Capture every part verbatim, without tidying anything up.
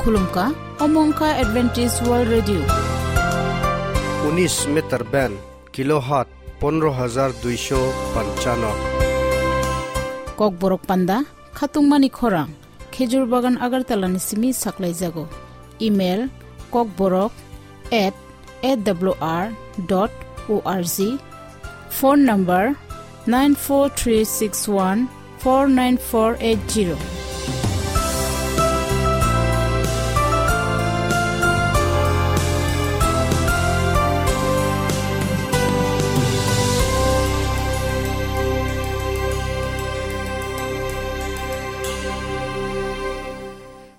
Khulumkha, omo wngkha Adventist World Radio. Unis meter band, kilohertz pondro hajar duisho panchano. Kokborok panda, khatungmani khorang, Khejur Bagan Agartala ni simi saklaijago. Email, kokborok at A W R dot O R G. Phone number, nine four three six one four nine four eight zero.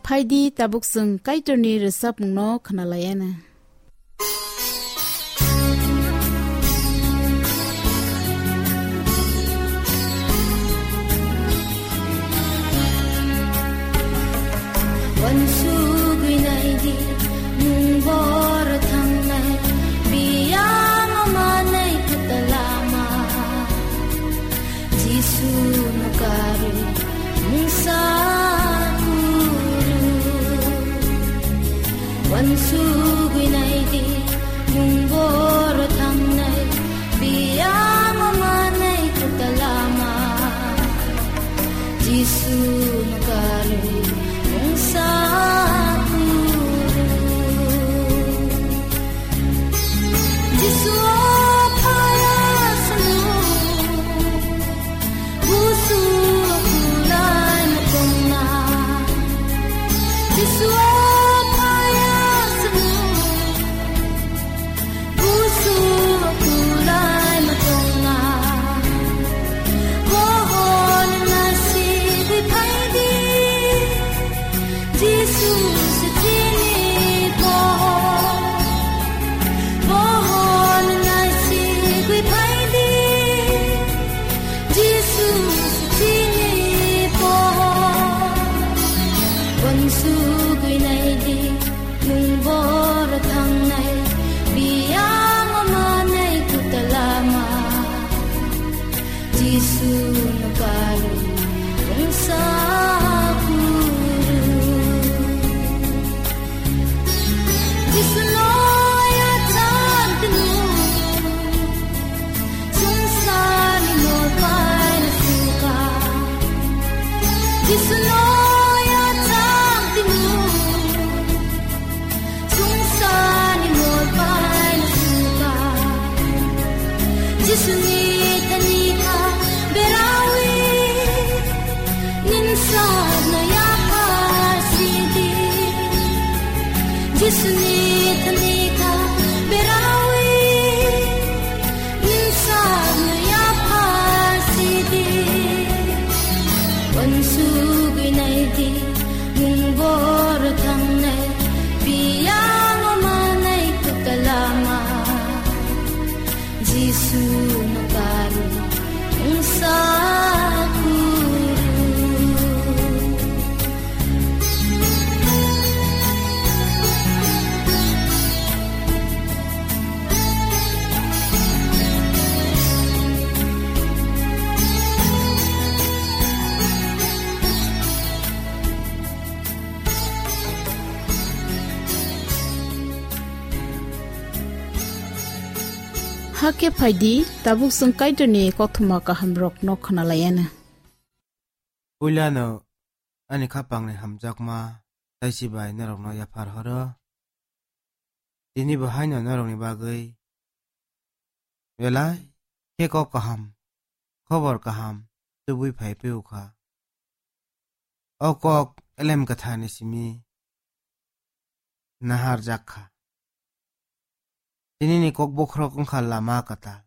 Phaidi, tabuk chwng Kaitorni rwchapmungno khwnalaiana. Wansugwi naidi, nwng bor thangnai, biyang manai kwtal lama. Jisu no karwi mungsa kuru. Wansugwi naidi, nwng bor thangnai, biyang manai kwtal lama. Jisu no karwi mungsa kuru. Jisu o phaya sanu, busu kulai matongna. Jisu o phaya sanu, busu kulai matongna. Bohon nasi di phaidi. Jisu se chini poho, pohon nai sigwi phaidi. Jisu se chini poho, wansugwi naidi, nwng bor thangnai, biyang manai kwtal lama. Jisu no karwi mungsa kuru. Jisu no yachang tnu, sungsarni mol paina suka. Jisu no yachang tnu, sungsarni mol paina suka. Jisuni thani kha berawi, nin sakno yaphar sidi. Jisuni thani kha berawi, nin sakno yaphar sidi. Wansugwi naidi, nwng bor thangnai, biyang manai kwtal lama. Jisu no karwi mungsa kuru. Hakhe phaidi, tabuk chwng Kaitorni koktwma kahamrokno khwnalaiana. Puilano ani khapangni hamjakma taichi bai norokno yaphar horo. Tini bo haino norokni bagwi belai khe kok kaham, khobor kaham tubui phai phiyokha. O kok Elem Kwtharni simi naharjak kha. Tinini kok bokhorok wngkha lama kwtal.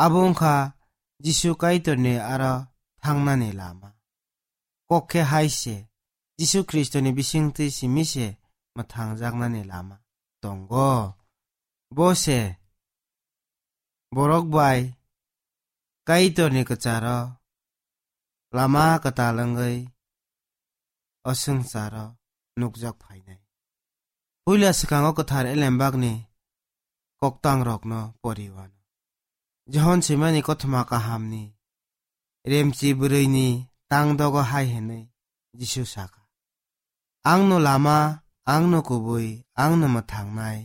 Abo wngkha Jisu Kaitorni aro thangnani lama. Kok khe hai se, Jisu Khristoni bisingtwi simi se mwthangjaknani lama tongo. Bo se borok bai Kaitorni kwcharo lama kwtal wngwi o swngcharo nukjak phainai. Puila swkango kwthar Elembakni koktangrokno poriwano. Johon swimani kothoma kahamni remchi bwrwini tangdogo hai hwnwi Jisu sakha, Angno lama, angno kubui, angno mwthangnai.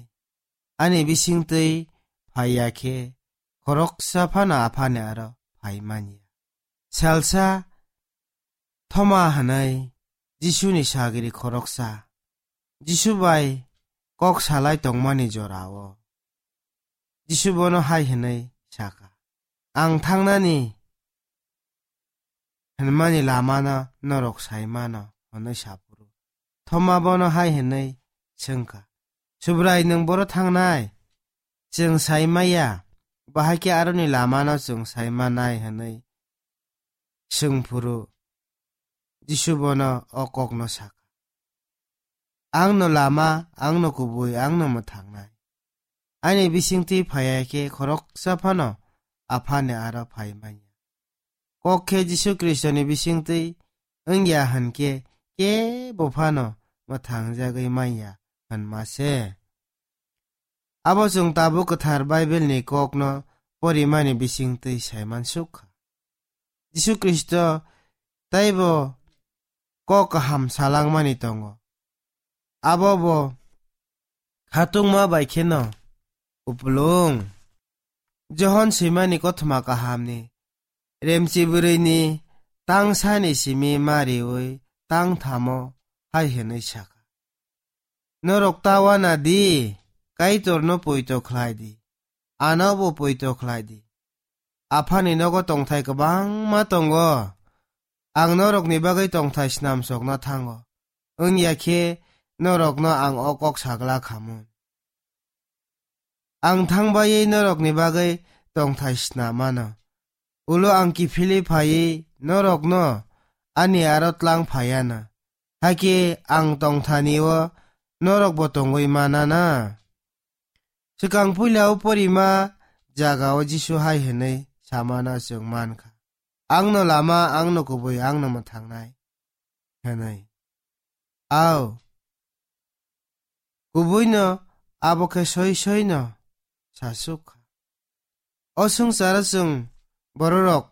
Ani bisingtwi phaiya khe khoroksa phano Aphani aro phai manya. Salsa Thoma hwnwi Jisuni sagri khoroksa Jisu bai kok salai tongmani jorao Jisu bono hai hwnwi saka, "Ang thangnani hwnmani lamano norok sai mano," hwnwi saphuru. Thoma bono hai hwnwi swngkha, "Subrai, nwng boro thangnai? Chwng sai maya, bahai khe aroni lamano chwng sai manai," hwnwi swngphuru Jisu bono o kokno saka, "Angno lama, angno kubui, angno mwthangnai. Ani bisingtwi phaiya khe khoroksa phano Aphani aro phai manya." Kok khe Jisu Khristoni bisingtwi wngya hwn khe kebo phano mwthangjagwi manya hwnma se. Abo chwng tabuk kwthar Baibelni kokno porimani bisingtwi saiman suk kha. Jisu Khristo taibo kok kaham salangmani tongo. Abo bo khatungma bai kheno kupulung. Johon swimani kothoma kahamni remchi bwrwini tangsani simi mariwi tangthamo hai hwnwi saka, "Norok ta wana di, Kaitorno poito khlai di, anobo poito khlai di. Aphani nogo tongthai kwbangma tongo. Ang norokni bagwi tongthai snamsokna thango, wngya khe norokno ang o kok sagla khamun. Ang thangbai norokni bagwi tongthai snam mano. Ulo ang kiphilwi phaiwi norokno ani aro tlang phaiya na. Hakhe ang tongthani-o norokbo tongwi mana na?" Swkang puila o porima jagao Jisu hai hwnwi samano chwng mankha, "Angno lama, angno kubui, angno mwthangnai," hwnwi. Ao, kubuino abo khe soi soino sasuk kha. O swngcharo chwng bororok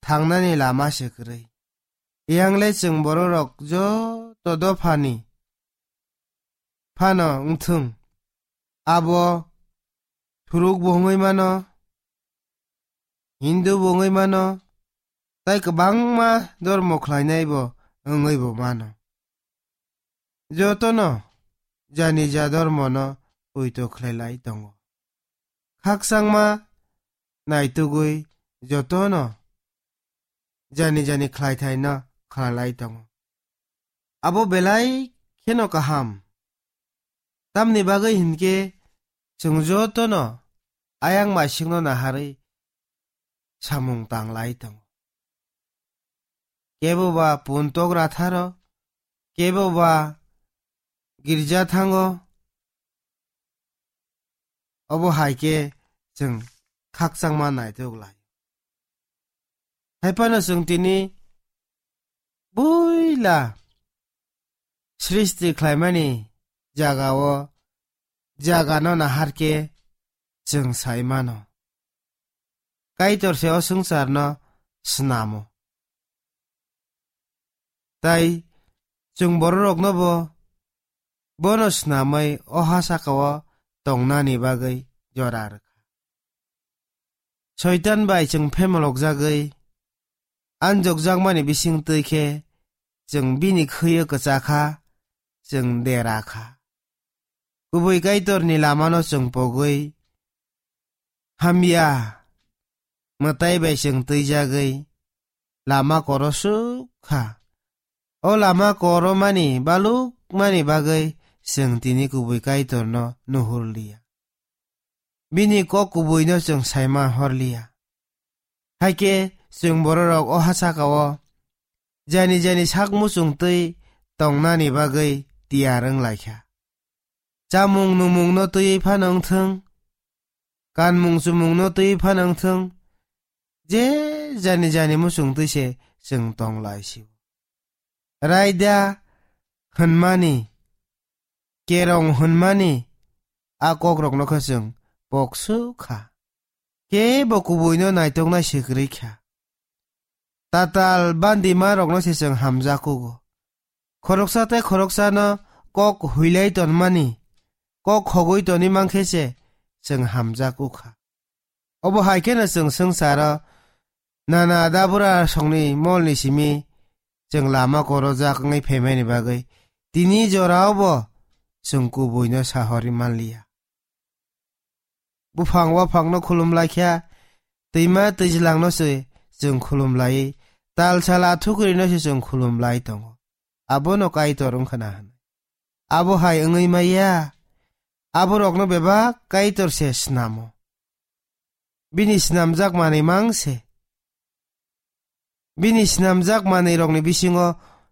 thangnani lama se kwrwi. Yangle chwng bororok joto dophani phano wngthung. Abo Thuruk bo wngwi mano, Hindu bo wngwi mano, tai kwbangma dormo khlainai bo wngwi bo mano. Jotono jani ja dormono poito khlai lai tongo. Khakchangma naitugwi jotono jani jani khlaithaino khlai lai tongo. Abo belai kheno kaham. Tamni bagwi hinkhe chwng jotono ayang maisingno naharwi samung tang lai tongo. Kebo ba puntok ratharo, kebo ba girja thango, obo hai khe chwng khakchangma naitok lai. Hai phano chwng tini buila srishti khlaimani jagao, jagano nahar khe chwng sai mano. Kaitor se o swngcharno snamo. Tai chwng bororokno bo bono snamwi o ha sakao tongnani bagwi jora rwkha. Soitan bai chwng phemolokjagwi anjokjakmani bisingtwi khe chwng bini khwi-o kwchakha, chwng dera kha. Kubui Kaitorni lamano chwng pogwi hamya mwtai bai chwng twijagwi lama koro suk kha. O lama koromani balukmani bagwi chwng tini kubui Kaitorno nuhur liya. Bini kok kubuino chwng saima hor liya. Hai khe chwng bororok o ha sakao jani jani sak muchung twi tongnani bagwi tiyar wng lai kha. Chamung numungno twiwi phano wng thung, kanmung chumungno twiwi phano wng thung, je jani jani muchung twi se chwng tong lai si-o. Raida hwnmani, kerong hwnmani a kokrokno khe chwng pok suk kha. Kebo kubuino naitoknai se kwrwi kha. Tatal bandimarokno se chwng hamjak kugo. Khoroksa tei khoroksano kok huilai tonmani, kok hogwi toni mankhe se chwng hamjak wngkha. Obo hai kheno chwng swngcharo nana dabura songni molni simi chwng lama korojak wngwi phaimani bagwi tini jorao bo chwng kubuino sahorwi manliya. Buphang waphangno khulum laikha, twima twijlangno se chwng khulum lai, tal sal athukrino se chwng khulum lai tongo. Abono Kaitor wngkhana hwnwi. Abo hai wngwi maya, aborokno bebak Kaitor se snamo. Bini snamjak manwi mang se. Bini snamjak manwirokni bisingo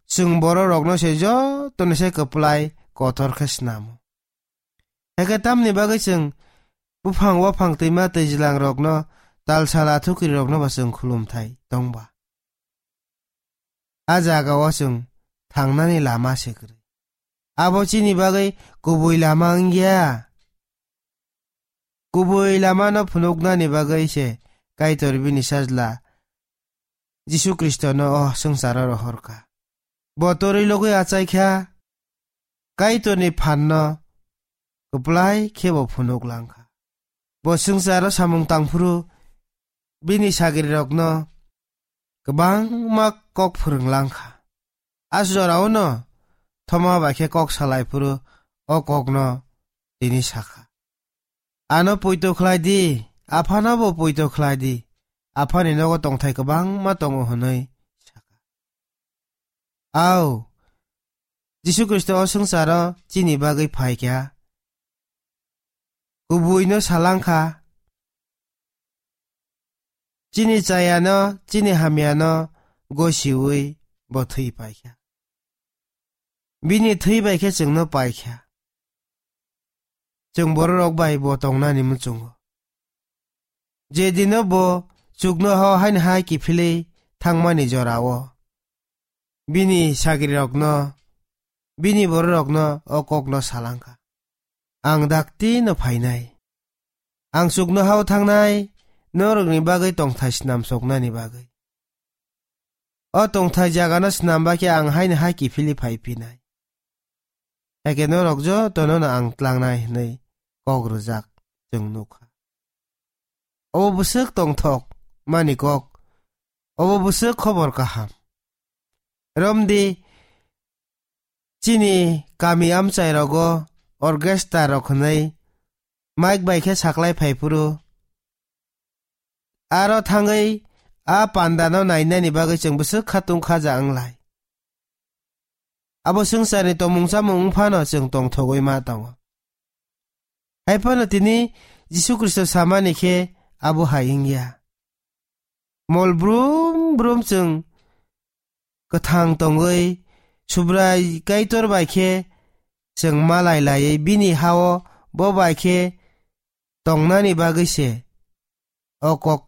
chwng bororokno se jotono se kwplai kotor khe snamo. Hakhe tamni bagwi chwng buphang waphang twima twijlangrokno tal sal athukirirokno ba chwng khulumthai tongba? A jagao chwng thangnani lama se kwrwi. Abo chini bagwi kubui lama wngya. Kubui lamano phunuknani bagwi se Kaitor bini Sajla Jisu Khristono o swngcharo rohorkha. Bo torwi logwi achaikha, Kaitorni phanno kwplai khe bo phunuk langkha. Bo swngcharo samung tangphuru bini sagrirokno kwbangma kok phwrwng langkha. A joraono thoma bai khe kok salai phuru o kokno tini sakha, "Ano poito khlai di, aphano bo poito khlai di, aphani nogo tongthai kwbangma tongo," hwnwi sakha. Au, Jisu Khristo o swngcharo chini bagwi phaikha, kubuino salangkha, chini chayano, chini hamyano gosiui bo thwi paikha. Bini thwi bai khe chwngno paikha. Chwng bororok bai bo tongnani muchungo. Je dino bo chukno hao haino hai kiphilwi thangmani jorao, bini sagrirokno, bini bororokno o kokno salangkha, "Ang dakti no phainai. Ang chukno hao thangnai, norokni bagwi tongthai snam soknani bagwi. O tongthai jagano snam bakhe ang haino hai kiphilwi phai phinai. Hakhe norok jotono no ang tlangnai," hwnwi kok rwjak chwng nukha. Obo bwswk tongthok mani kok, obo bwswk khobor kaham. Romdi chini kami amchai rogo orchestra rok hwnwi mic bai khe saklai phai phuru, aro thangwi a pandano nainani bagwi chwng bwswk khatung khaja wnglai. Abo swngcharni tomung chamung wng phano chwng tongthogwi ma tongo. Hai phano tini Jisu Khristo samani khe abo hai wngya. Mol brum brum chwng kwthang tongwi Subrai Kaitor bai khe chwng malai laiwi bini hao bo bai khe tongnani bagwi se o kok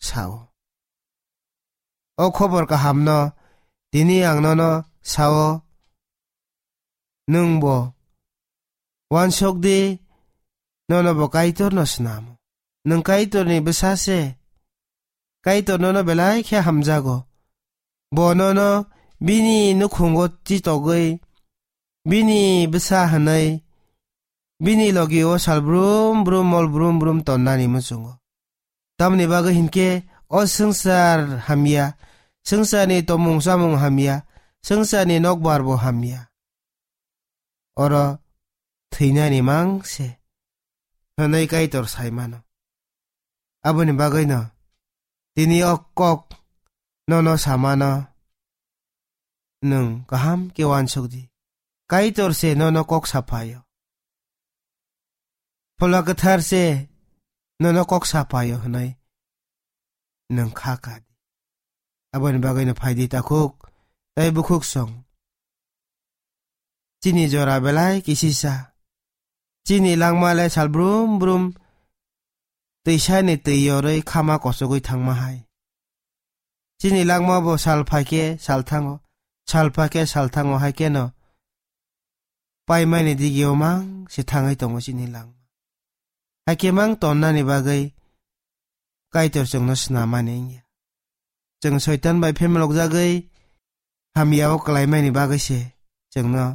sao. O khobor kahamno tini ang nono sao, nwng bo uansuk di, nono bo Kaitorno snamo. Nwng Kaitorni bwsa se, Kaitor nono belai khe hamjago. Bo nono bini nukhungo chitogwi, bini bwsa hwnwi, bini logi o sal brum brum mol brum brum tonnani muchungo. Tamni bagwi hinkhe o swngchar hamya, swngcharni tomung chamung hamya, swngcharni nokbar bo hamya. Oro thwinani mang se hwnwi Kaitor sai mano. Aboni bagwino tini o kok nono samano nwng kaham khe uansuk di. Kaitor se nono kok saphaio. Phola Kwthar se nono kok saphaio hwnwi nwng kha ka di. Aboni bagwino phai di takhuk tei bukhuk song. Chini jora belai kisisa. Chini langma le sal brum brum twisani twi yorwi khama kochogwi thangma hai. Chini langma bo sal phai khe sal thango, sal phai khe sal thango, hai kheno paimani digio mang se thangwi tongo chini langma. Hai khe mang tonnani bagwi Kaitor chwngno snamani wngya. Chwng Soitan bai phemlokjagwi hamyao kwlaimani bagwi se chwngno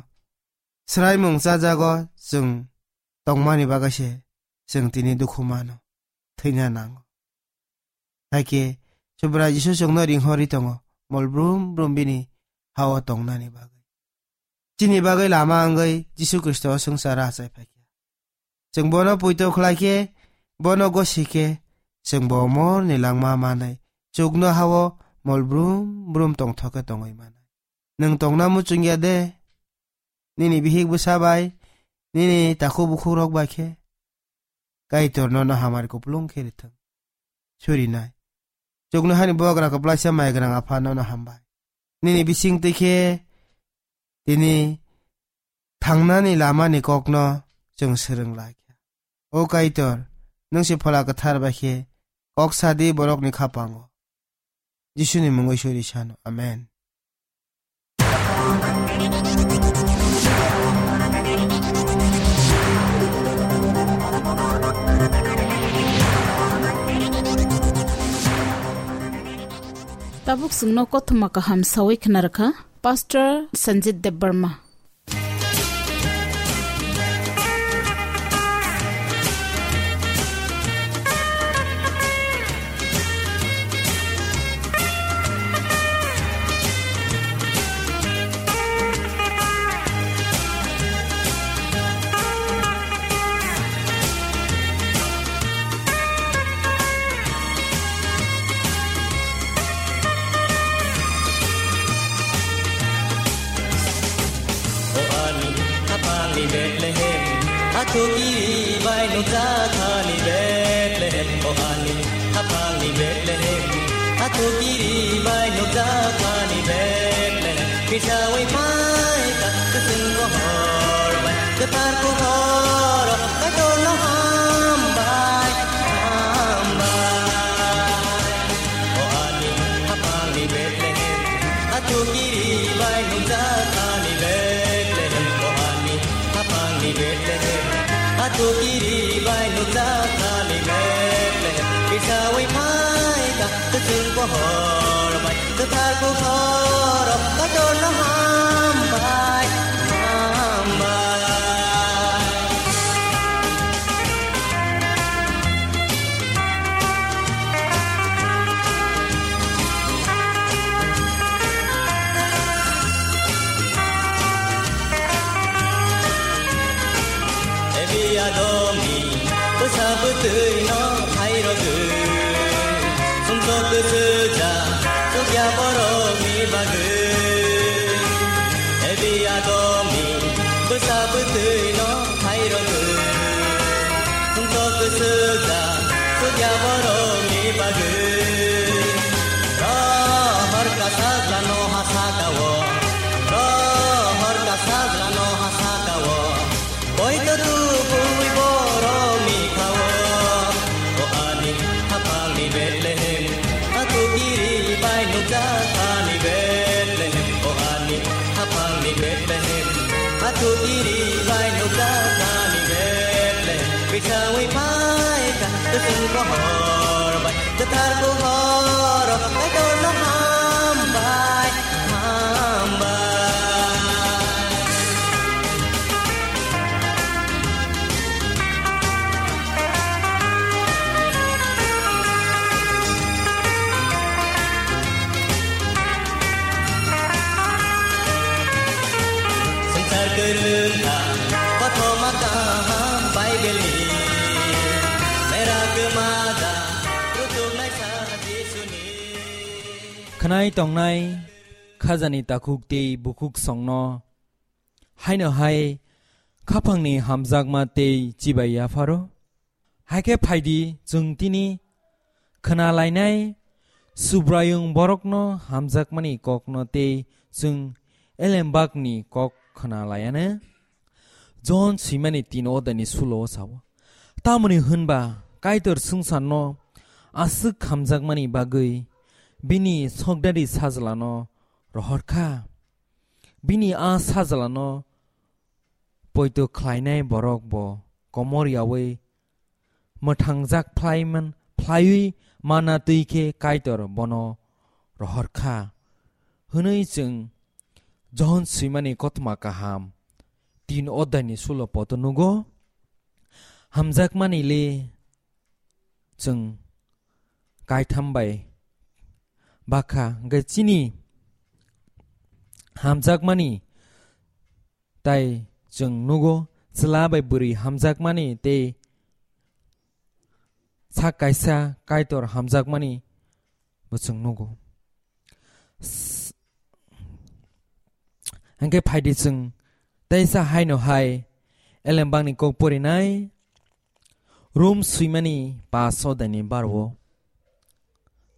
swraimung chajago chwng tongmani bagwi se chwng tini dukhu mano, thwina nango. Hakhe Subrai Jisu chwngno ringhorwi tongo, mol brum brum bini hao tongnani bagwi. Chini bagwi lama wngwi Jisu Khristo o swngcharo achai phaikha. Chwng bono poito khlai khe, bono gosi khe, chwng bo morni langma manwi chukno hao mol brum brum tongthok khe tongwi manai. Nwng tongna muchungya de? Nini bihik bwsa bai, nini takhuk bukhukrok bai khe Kaitor nono hamari kupulung khe rithwng. Surinai. Chuknohani bogra kwplaisa maigrang Apha nono hambai. Nini bising twi khe tini thangnani lamani kokno chwng swrwng lai kha. O Kaitor, nwng se Phola Kwthar bai khe kok sadi borokni khapango. Jisuni mungwi suri sano. Amen. Tabuk chwngno kothoma kaham sawi khna rwkha Pastor Sanjit Debbarma. O ani khapangni Bethlehem, athukiri bai nukjakhani Bethlehem. O ani khapangni Bethlehem, athukiri bai nukjakhani Bethlehem. Kisawi phaikha kwchwng bohor bai, kwthar bohor, Kaitorno hambai, hambai. O ani khapangni Bethlehem, athukiri bai nukjakhani Bethlehem. O ani khapangni Bethlehem, athukiri bai nukjakhani Bethlehem. Kisawi phaikha kwchwng bohor bai, kwthar bohor, Kaitorno hambai, hambai. Ebi adomni bwsa bwtwino phairogwi, sumsok kwswja chukya borokni bagwi. Ebi adomni bwsa bwtwino phairogwi, sumsok kwswja chukya borokni bagwi. Rohor ka sajlano ha sakao, rohor ka sajlano ha sakao, poito tubui borokni khao. O ani khapangni Bethlehem, athukiri bai nukjakhani Bethlehem. O ani khapangni Bethlehem, athukiri bai nukjakhani Bethlehem. Kisawi phaikha kwchwng bohor bai, kwthar bohor, Kaitorno hambai, hambai. Swngchar kwrwngkha, kothoma kaham Bible-ni, mera kwmajak, rutuknaisa Jisuni. Khwnai tongnai khajani takhuk tei bukhuk songno haino hai khaphangni hamjakma tei chibai yapharo. Haikhe phaidi, chwng tini khwnalainai Subraiyung borokno hamjakmani kokno tei chwng elembakni kok khwnalaiano. Jon swimani tin odani sulo o sao, tamoni hwnba Kaitor swngcharno aswk hamjakmani bagwi bini sokdari sajlano rohor kha. Bini a sajlano poito khlainai borok bo komor yaui mwthangjak phlaiman, phlaiwi mana twi khe Kaitor bono rohor kha hwnwi chwng Johon swimani kothoma kaham tin odai ni sulo poto nugo. Hamjakmani le chwng kaitham bai bakha, hwnkhe chini hamjakmani tai chwng nugo, chwla bai bwrwi hamjakmani tei sak kaisa Kaitor hamjakmani bo chwng nugo. S-, hwnkhe phaidi chwng teisa haino hai Elembakni kok porinai Rom swimani paso daini barwo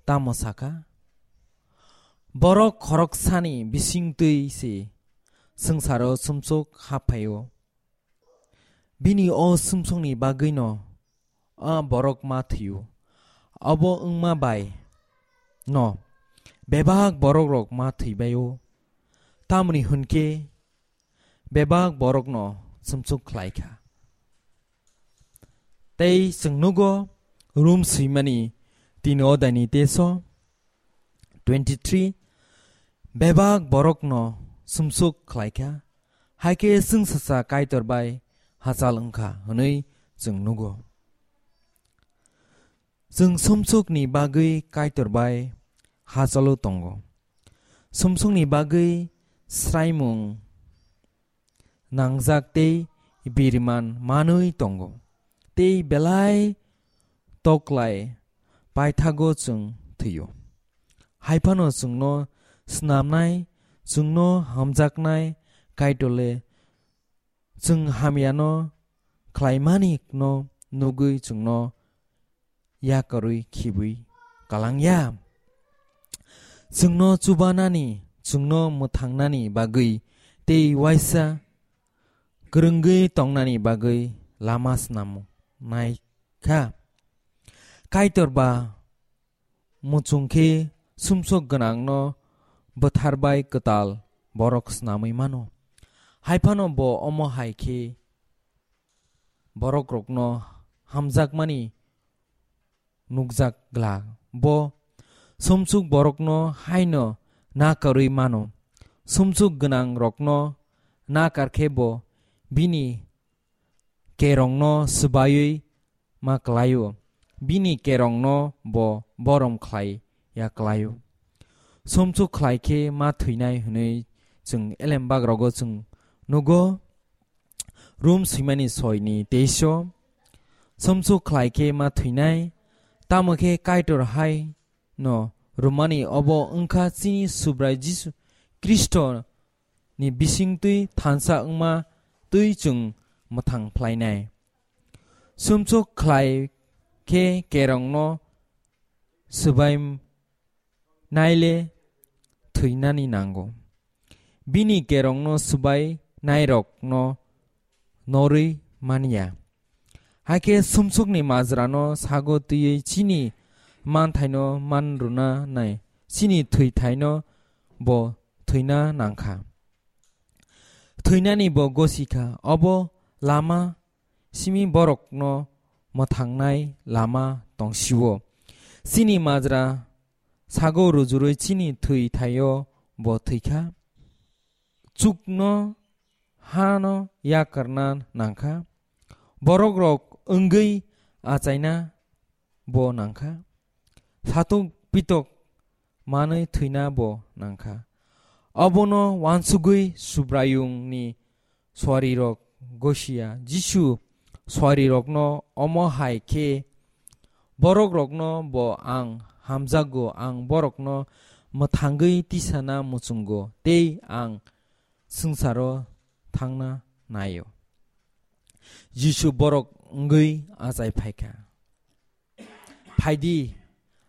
tamo sakha, borok khoroksani bisingtwi se swngcharo sumsok haphaio. Bini o sumsokni bagwino a borok ma thwio. Abo wngma bai no bebak borokrok ma thwibaio. Tamni hwnkhe bebak borokno sumsok khlaikha. Tei chwng nugo Rom swimani tini odaini teso twenty three, bebak borokno sumsok khlaikha, haikhe chwngsacha Kaitor bai hachal wngkha hwnwi chwng nugo. Chwng sumsokni bagwi Kaitor bai hachalo tongo. Sumsokni bagwi sraimung nangjak tei biriman manwi tongo, tei belai toklai paithago chwng thwio. Haiphano chwngno snamnai, chwngno hamjaknai Kaitorle chwng hamyano khlaimani no nugwi chwngno yakarwi khibwi kalangya. Chwngno chubanani, chwngno mwthangnani bagwi tei waisa kwrwngwi tongnani bagwi lama snamnai kha. Kaitor ba muchung khe sumsok gwnangno bwtharbai kwtal borok snamwi mano. Haiphano bo omo hai khe borokrokno hamjakmani nukjak glak. Bo sumsok borokno haino nakarwi mano. Sumsok gwnangrokno nakar khe bo bini kerongno swbaiwi ma klaio. Bini kerongno bo borom khlai ya klaio. Sumsok khlai khe ma thwinai hwnwi chwng elembak rogo chwng nugo. Rom swimani soini teisho, sumsok khlai khe ma thwinai, tamo khe Kaitor hai no rwmani obo wngkha chini Subrai Jisu Khristo ni bisingtwi thansa wngma twi chwng mwthang phlainai. Sumsok khlai khe kerongno swbai naile thwinani nango. Bini kerongno swbai nairokno norwi manya. Hakhe sumsokni majrano sago twiwi chini manthaino man rwna nai, chini thwithaino bo thwina nangkha. Thwinani bo gosikha, obo lama simi borokno mwthangnai lama tongsio. Chini majra sago rujurwi chini thwi thaio bo thwikha. Chukno hano yakarna nangkha. Borokrok wngwi achaina bo nangkha. Satok pitok manwi thwina bo nangkha. Obono wansugwi Subraiyungni suarirok gosia. Jisu suarirokno omo hai khe, "Borokrokno bo ang hamjakgo, ang borokno mwthangwi tisana muchungo tei ang swngcharo thangna naio." Jisu borok wngwi achai phaikha. Phaidi,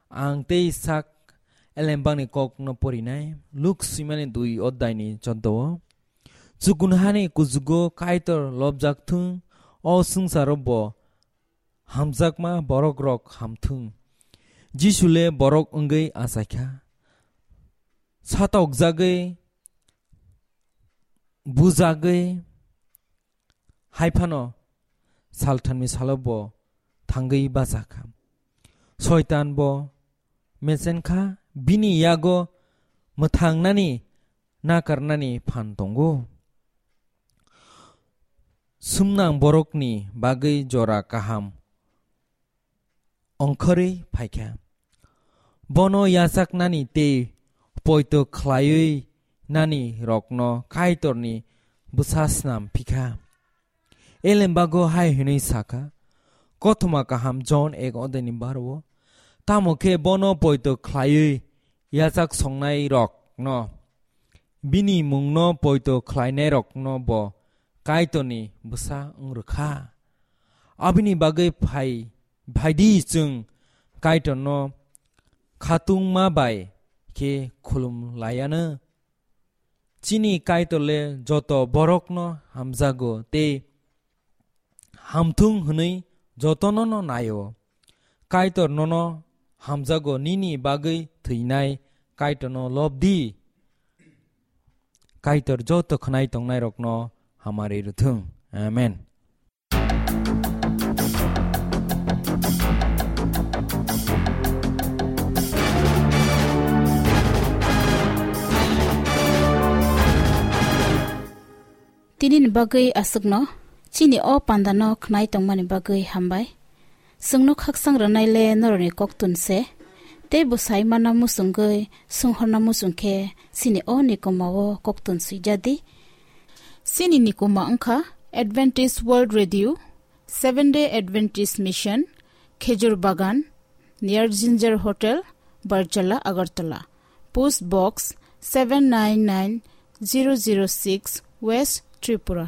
ang tei sak elembakni kokno porinai, Luk swimani dui oddaini choddo o. Chukun hani kuchugo Kaitor lobjak thung, o swngcharo bo hamjakma borokrok ham thung. Jisu le borok wngwi achaikha. Satokjagwi, bujagwi, hai phano salthamni salo bo thangwi bachakha. Soitan bo mechenkha, bini yago mwthangnani nakarnani phan tongo. Sumnang borokni bagwi jora kaham ongkhorwi phaikha. Bono yachaknani tei poito khlaiwi nani rokno Kaitorni bwsa snam phikha. Elembago hai hwnwi sakha, Kothoma kaham Jon ek odeni baro, tamo khe bono poito khlaiwi yachak songnai rokno, bini mungno poito khlainai rokno bo Kaitorni bwsa wng rwkha. Abini bagwi phai, phaidi chwng Kaitorno khatungma bai khe khulum laiano. Chini Kaitor le joto borokno hamjago tei hamthung hwnwi jotono no naio. Kaitor nono hamjago, nini bagwi thwinai Kaitorno lobdi. Kaitor joto khwnai tongnairokno hamari rwthwng. Amen. Tini ni bagwi aswkno, chini o panda no khnai tongmani bagwi hambai. Chwngno khakchang rwnai le norokni koktun se, tei bwsai mana muchungwi swnghorna muchung khe chini o nikoma o koktun swijadi. Chini nikoma wngkha Adventist World Radio, Seventh Day Adventist Mission, Khejur Bagan, near Ginger Hotel, Barjala, Agartala. Post Box seven nine nine zero zero six, West Tripura.